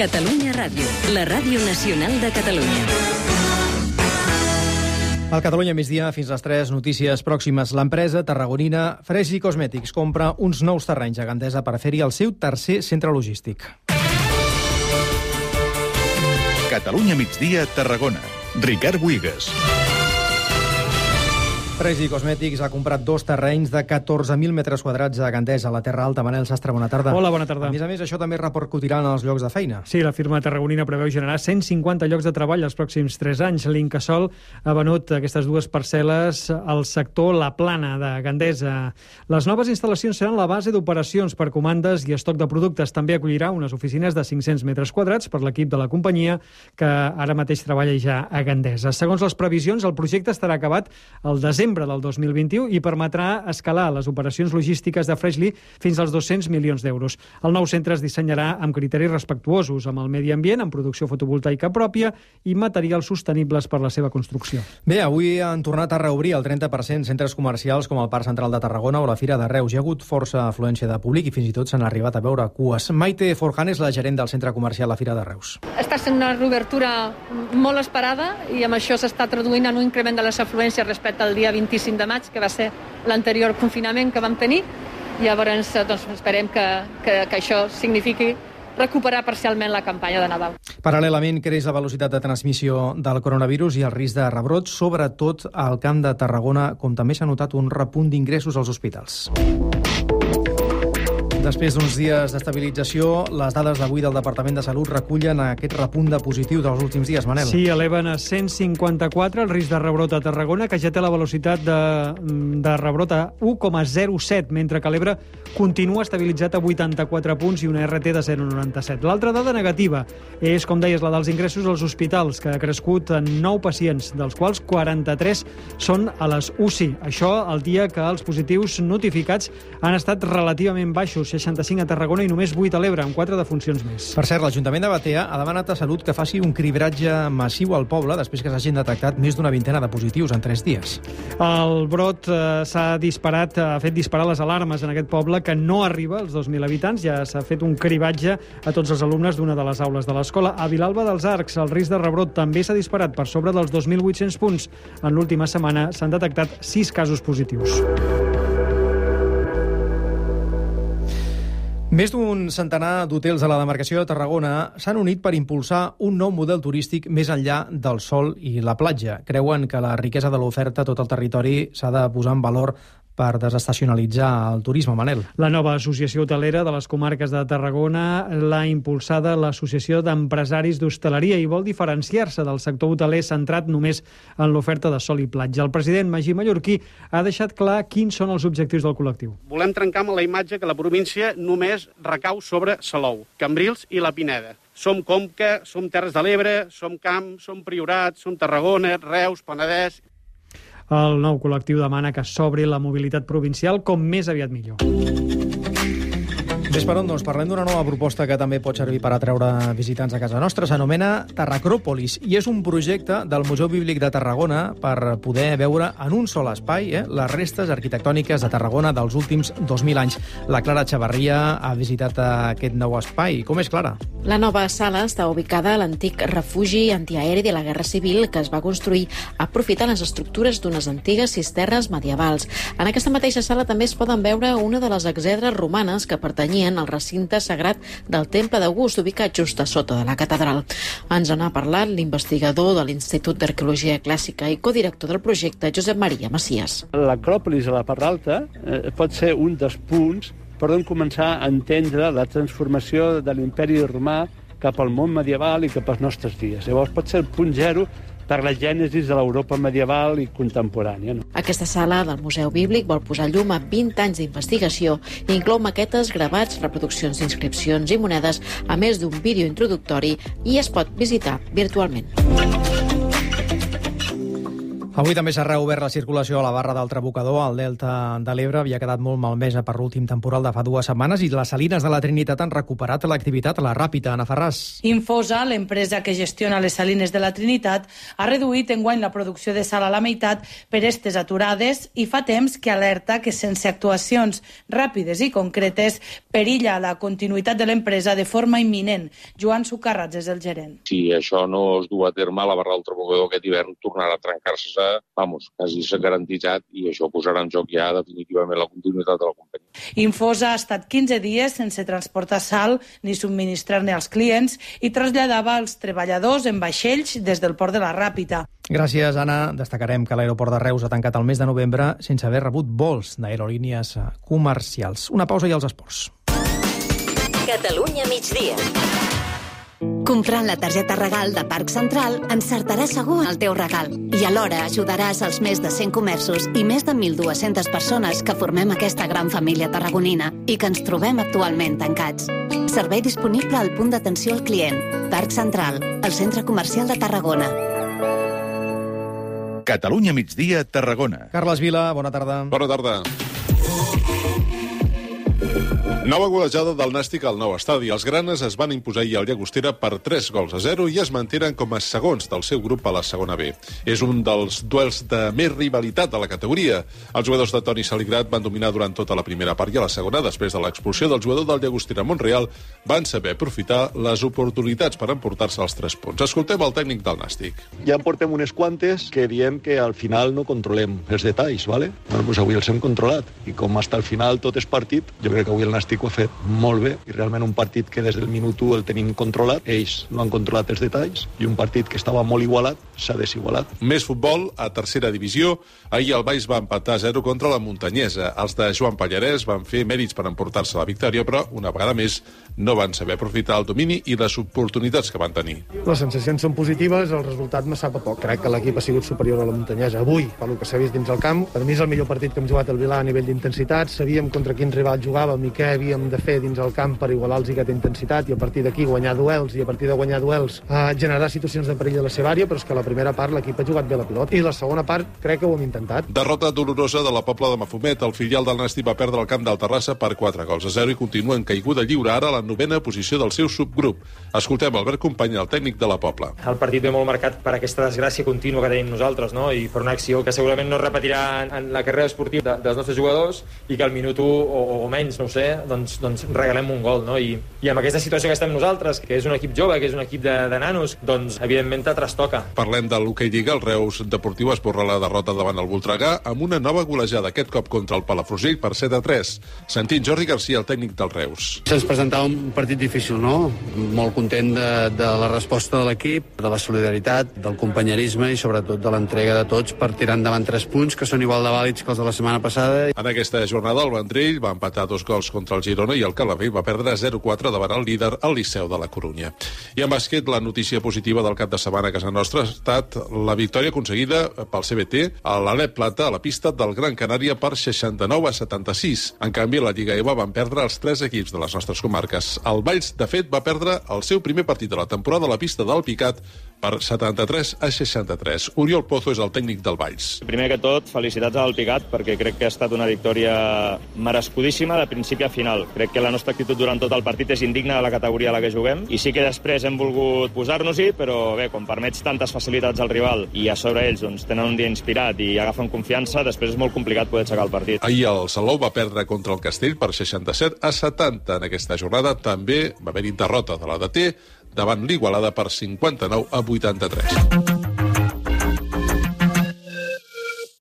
Catalunya Ràdio, la ràdio nacional de Catalunya. Al Catalunya migdia, fins les 3 notícies pròximes. L'empresa tarragonina Freshly Cosmetics compra uns nous terrenys a Gandesa per fer-hi el seu tercer centre logístic. Catalunya migdia, Tarragona. Ricard Buigas. Freshly Cosmetics ha comprat 2 terrenys de 14.000 metres quadrats a Gandesa, a la Terra Alta. Manel Sastre, bona tarda. Hola, bona tarda. A més, això també repercutirà en els llocs de feina. Sí, la firma tarragonina preveu generar 150 llocs de treball els pròxims 3 anys. L'Incasòl ha venut aquestes 2 parcel·les al sector La Plana de Gandesa. Les noves instal·lacions seran la base d'operacions per comandes i estoc de productes. També acollirà unes oficines de 500 metres quadrats per l'equip de la companyia, que ara mateix treballa ja a Gandesa. Segons les previsions, el projecte estarà acabat al desembre del 2021 i permetrà escalar les operacions logístiques de Freshly fins als 200 milions d'euros. El nou centre es dissenyarà amb criteris respectuosos amb el medi ambient, amb producció fotovoltaica pròpia i materials sostenibles per la seva construcció. Bé, avui han tornat a reobrir el 30% centres comercials com el Parc Central de Tarragona o la Fira de Reus. Hi ha hagut força afluència de públic i fins i tot s'han arribat a veure cues. Maite Forjan és la gerent del centre comercial La Fira de Reus. Està sent una reobertura molt esperada i amb això s'està traduint en un increment de les afluències respecte al dia 25 de maig, que va ser l'anterior confinament que vam tenir. Llavors, esperem que això signifiqui recuperar parcialment la campanya de Nadal. Paral·lelament, creix la velocitat de transmissió del coronavirus i el risc de rebrot, sobretot al Camp de Tarragona, com també s'ha notat un repunt d'ingressos als hospitals. Després d'uns dies d'estabilització, les dades d'avui del Departament de Salut recullen aquest repunt de positiu dels últims dies, Manel. Sí, eleven a 154 el risc de rebrot a Tarragona, que ja té la velocitat de rebrot a 1,07, mentre que l'Ebre continua estabilitzat a 84 punts i una RT de 0,97. L'altra dada negativa és, com deies, la dels ingressos als hospitals, que ha crescut en 9 pacients, dels quals 43 són a les UCI. Això el dia que els positius notificats han estat relativament baixos, 65 a Tarragona i només 8 a l'Ebre, amb 4 defuncions més. Per cert, l'Ajuntament de Batea ha demanat a Salut que faci un cribratge massiu al poble després que s'hagin detectat més d'una vintena de positius en 3 dies. El brot ha fet disparar les alarmes en aquest poble, que no arriba als 2.000 habitants. Ja s'ha fet un cribatge a tots els alumnes d'una de les aules de l'escola. A Vilalba dels Arcs, el risc de rebrot també s'ha disparat per sobre dels 2.800 punts. En l'última setmana s'han detectat 6 casos positius. Més d'un centenar d'hotels a la demarcació de Tarragona s'han unit per impulsar un nou model turístic més enllà del sol i la platja. Creuen que la riquesa de l'oferta a tot el territori s'ha de posar en valor per desestacionalitzar el turisme, Manel. La nova associació hotelera de les comarques de Tarragona l'ha impulsada l'Associació d'Empresaris d'Hostaleria i vol diferenciar-se del sector hoteler centrat només en l'oferta de sol i platja. El president Magí Mallorquí ha deixat clar quins són els objectius del col·lectiu. Volem trencar amb la imatge que la província només recau sobre Salou, Cambrils i la Pineda. Som Conca, som Terres de l'Ebre, som Camp, som Priorat, som Tarragona, Reus, Penedès. El nou col·lectiu demana que s'obri la mobilitat provincial com més aviat millor. Ves per on, doncs, parlem d'una nova proposta que també pot servir per atreure visitants a casa nostra. S'anomena Tarracròpolis i és un projecte del Museu Bíblic de Tarragona per poder veure en un sol espai les restes arquitectòniques de Tarragona dels últims 2.000 anys. La Clara Chavarria ha visitat aquest nou espai. Com és, Clara? La nova sala està ubicada a l'antic refugi antiaeri de la Guerra Civil que es va construir aprofitant les estructures d'unes antigues cisternes medievals. En aquesta mateixa sala també es poden veure una de les exedres romanes que pertanyien al recinte sagrat del Temple d'August, ubicat just a sota de la catedral. Ens n'ha parlat l'investigador de l'Institut d'Arqueologia Clàssica i codirector del projecte, Josep Maria Macias. L'Acròpolis a la part alta pot ser un dels punts per on començar a entendre la transformació de l'imperi romà cap al món medieval i cap als nostres dies. Llavors pot ser el punt zero per la gènesis de l'Europa medieval i contemporània. Aquesta sala del Museu Bíblic vol posar llum a 20 anys d'investigació i inclou maquetes, gravats, reproduccions d'inscripcions i monedes, a més d'un vídeo introductori, i es pot visitar virtualment. Avui també s'ha reobert la circulació a la barra del Trabucador. Al Delta de l'Ebre havia quedat molt malmesa per l'últim temporal de fa 2 setmanes i les Salines de la Trinitat han recuperat l'activitat a la Ràpita. Ana Ferràs. Infosa, l'empresa que gestiona les Salines de la Trinitat, ha reduït enguany la producció de sal a la meitat per estes aturades i fa temps que alerta que sense actuacions ràpides i concretes perilla la continuïtat de l'empresa de forma imminent. Joan Sucarrats és el gerent. Si això no es du a terme, la barra del Trabucador aquest hivern tornarà a trencar-se, quasi s'ha garantitzat, i això posarà en joc ja definitivament la continuïtat de la companyia. Infosa ha estat 15 dies sense transportar sal ni subministrar-ne als clients i traslladava els treballadors en vaixells des del port de la Ràpita. Gràcies, Anna. Destacarem que l'aeroport de Reus ha tancat el mes de novembre sense haver rebut vols d'aerolínies comercials. Una pausa i els esports. Catalunya migdia. Comprant la targeta regal de Parc Central, encertaràs segur el teu regal. I alhora ajudaràs els més de 100 comerços i més de 1.200 persones que formem aquesta gran família tarragonina i que ens trobem actualment tancats. Servei disponible al punt d'atenció al client. Parc Central, el centre comercial de Tarragona. Catalunya migdia, Tarragona. Carles Vila, bona tarda. Bona tarda. Nova golejada del Nàstic al nou estadi. Els granes es van imposar ahir al Llagostera per 3-0 i es mantenen com a segons del seu grup a la segona B. És un dels duels de més rivalitat de la categoria. Els jugadors de Toni Saligrat van dominar durant tota la primera part i a la segona, després de l'expulsió del jugador del Llagostera Montreal, van saber aprofitar les oportunitats per emportar-se els 3 punts. Escoltem el tècnic del Nàstic. Ja en portem unes quantes que diem que al final no controlem els detalls, ¿vale? Bueno, pues avui els hem controlat i com hasta el final tot és partit, jo crec que avui el Nàstic ho ha fet molt bé i realment un partit que des del minut 1 el tenim controlat, ells no han controlat els detalls i un partit que estava molt igualat s'ha desigualat. Més futbol a tercera divisió. Ahir el Baix va empatar 0 contra la Muntanyesa. Els de Joan Pallarès van fer mèrits per emportar-se la victòria, però una vegada més no van saber aprofitar el domini i les oportunitats que van tenir. Les sensacions són positives, el resultat me sap a poc. Crec que l'equip ha sigut superior a la Muntanyesa avui, pel que s'ha vist dins el camp. Per mi és el millor partit que hem jugat al Vilà a nivell d'intensitat. Sabíem contra quins rivals jugàvem i què havíem de fer dins el camp per igualar-los aquesta intensitat i a partir d'aquí guanyar duels i a partir de guanyar duels generar situacions de perill a la seva àrea, però és que la primera part l'equip ha jugat bé la pilota i la segona part crec que ho hem intentat. Derrota dolorosa de la Pobla de Mafumet. El filial del Nàstic va perdre el camp del Terrassa per 4-0 i continua en caiguda lliure, ara a la 9ª posició del seu subgrup. Escoltem Albert Company, el tècnic de la Pobla. El partit ve molt marcat per aquesta desgràcia contínua que tenim nosaltres, no? I per una acció que segurament no es repetirà en la carrera esportiva dels nostres jugadors i que al minut 1 o menys, no ho sé, doncs regalem un gol, no? I amb aquesta situació que estem nosaltres, que és un equip jove, que és un equip de nanos, doncs evidentment te trastoca. Parlem de l'Hockey Lliga. El Reus Deportiu esborra la derrota davant el Voltregà amb una nova golejada, aquest cop contra el Palafrugell per 7-3. Sentim Jordi Garcia, el tècnic del Reus. Se'ns presentava un partit difícil, no? Molt content de la resposta de l'equip, de la solidaritat, del companyerisme i sobretot de l'entrega de tots per tirar endavant 3 punts que són igual de vàlids que els de la setmana passada. En aquesta jornada el Vendrell va empatar 2 gols contra el Girona i el Calafell va perdre 0-4 davant el líder, el Liceu de la Corunya. I en bàsquet, la notícia positiva del cap de setmana a casa nostra ha estat la victòria aconseguida pel CBT a l'Alep Plata a la pista del Gran Canària per 69-76. En canvi, a la Lliga EVA van perdre els 3 equips de les nostres comarques. El Valls, de fet, va perdre el seu primer partit de la temporada a la pista del Picat per 73-63. Oriol Pozo és el tècnic del Valls. Primer que tot, felicitats al Picat, perquè crec que ha estat una victòria merescudíssima de principi a final. Crec que la nostra actitud durant tot el partit és indigna de la categoria a la que juguem, i sí que després hem volgut posar-nos-hi, però bé, quan permets tantes facilitats al rival i a sobre ells doncs, tenen un dia inspirat i agafen confiança, després és molt complicat poder aixecar el partit. Ahir el Salou va perdre contra el Castell per 67-70. En aquesta jornada també va haver-hi derrota de la DT davant l'Igualada per 59-83.